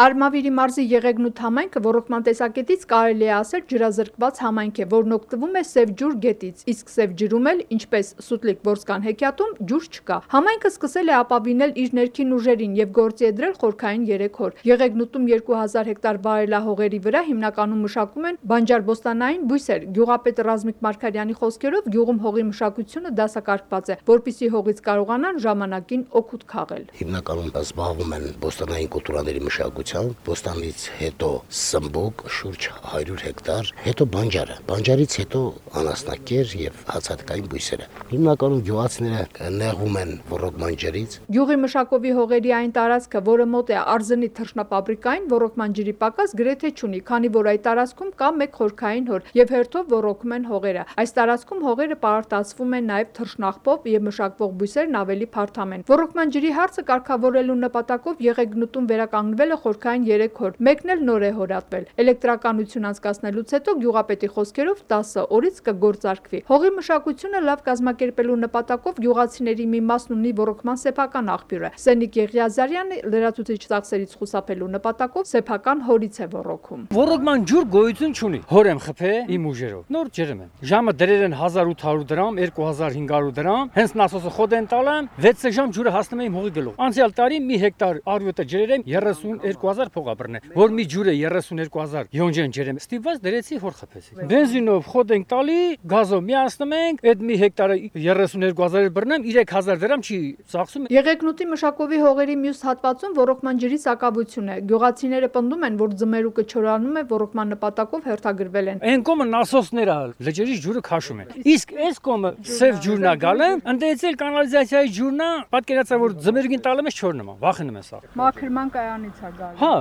Արմավիրի մարզի Եղեգնուտ համայնքը ոռոգման տեսակետից կարելի է ասել ջրազրկված համայնք է, որն օգտվում է Սև ջուր գետից, իսկ Սև ջրում էլ, ինչպես Սուտլիկ-Որսկան հեքիաթում, ջուր չկա։ Համայնքը սկսել է ապավինել իր ներքին ուժերին եւ գործի է դրել խորքային 3 հոր։ Եղեգնուտում 2000 հեկտար վայելահողերի վրա հիմնականում մշակում են բանջարբոստանային բույսեր։ Գյուղապետ Ռազմիկ Մարգարյանի խոսքերով գյուղում հողի մշակությունը դասակարգված է, որպեսզի հողից կարողանան ժամանակին օգուտ քաղել։ Հիմնականում զբաղվում են բոստանային կուլտուրաների մշակությամբ, բոստանից հետո սմբուկ շուրջ 100 հեկտար, հետո բանջարը, բանջարից հետո անասնակեր եւ հացահատիկային բույսերը։ Հիմնականում գյուղացիները նեղում են ոռոգման ջրից։ Գյուղի մշակովի հողերի այն տարածքը, որը մոտ է Արզնի թռչնապաբրիկային, ոռոգման ջրի պակաս գրեթե չունի, քանի որ այդ տարածքում կա մեկ խորքային հոր եւ հերթով ոռոգում են հողերը։ Այս տարածքում հողերը պարարտացվում են նաեւ թռչնաղբով եւ մշակվող բույսերն ավելի փարթամ են։ Ոռոգման ջրի հարցը կարգավորելու նպատակով Եղեգնուտում վերականգնվել է խորքային 3 հոր, մեկն էլ նոր է հորատվել։ Էլեկտրականություն անցկացնելուց հետո գյուղապետի խոսքերով 10 օրից կգործարկվի։ Հողի մշակությունը լավ կազմակերպելու նպատակով գյուղացիների մի մասն ունի ոռոգման սեփական աղբյուրը։ Սենիկ Եղիազարյանը լրացուցիչ ծախսերից խուսափելու նպատակով սեփական հորից է ոռոգում։ Ոռոգման ջուր գոյություն չունի։ Հոր եմ խփե իմ ուժերով։ Նոր ջրեմ եմ։ Ժամը դրել են 1800 դրամ, 2500 դրամ, հենց նասոսը խոդ են տալ եմ, 6 ժամ ջուրը հասնում է իմ հողի գլուխ։ Անցյալ տարի մի հեկտար արյոտը ջրել եմ 32000 փող ապրնե, որ մի ջուրը 32000 յոնջեն ջրեմ։ Ստիպված դրեցի հոր խփեցի։ Բենզինով խոդ ենք տալի, գազով միացնում ենք, այդ մի հեկտարը 32000 բռնեմ, 3000 դրամ չի ծախսում։ Եղեգնուտի մշակովի հողերի մյուս հատվածում ոռոգման ջրի սակավություն է։ Գյուղացիները պնդում են, որ ձմերուկը չորանում է, ոռոգման նպատակով հերթագրվել են։ Այն կոմը նասոսները լճերից ջուրը քաշում են։ Իսկ այս կոմը Սև ջուրն է գալը, ընդեցել կանալիզացիայի ջուրն է, պատկերացա որ ձմերուկին տալեմ ես չորնում է, վախենում եմ սա։ Մաքրման կայանից է գալի։ Հա։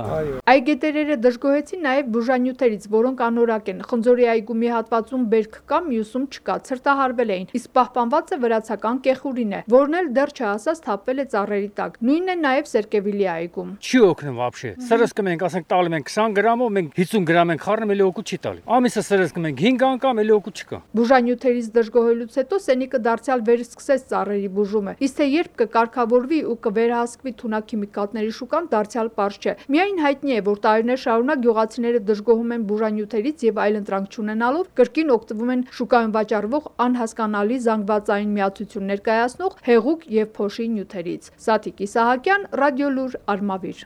Այգետերերը դժգոհեցին նաև բուժանյութերից, որոնք անորակ են։ Խնձորի այգու մի հատվածում բերք կա, մյուսում չկա, ցրտահարվել էին, իսկ պահպանվածը վրացական կեխուրին է, որն էլ դեռ չհասած թափվել է ծառերի տակ։ Նույնն է նաև Սերկևիլի այգում։ Չի օգնում вообще։ Սրս կմենք, ասենք տալու ենք 20 գրամով, մենք 50 գրամ ենք խառնում, էլի օգուտ չի տալի։ Ամիսը սրս կմենք 5 անգամ, էլի օգուտ չկա։ Բուժանյութերից դժգոհելուց հետո Սենիկը դարձյալ վերսկսեց ծառերի բուժումը։ Իսկ թե երբ կկարգավորվի ու կվերահսկվի թունաքիմիկատների շուկան, դարձյալ պարզ չէ։ Միայն հայտնի է, որ տարիներ շարունակ գյուղացիները դժգոհում են բուժանյութերից եւ այլընտրանք չունենալով կրկին օգտվում են շուկայում վաճառվող անհասկանալի զանգվածային միացություններ կայացնող հեղուկ եւ փոշի նյութերից։ Սաթիկ Իսահակյան, Ռադիոլուր, Արմավիր։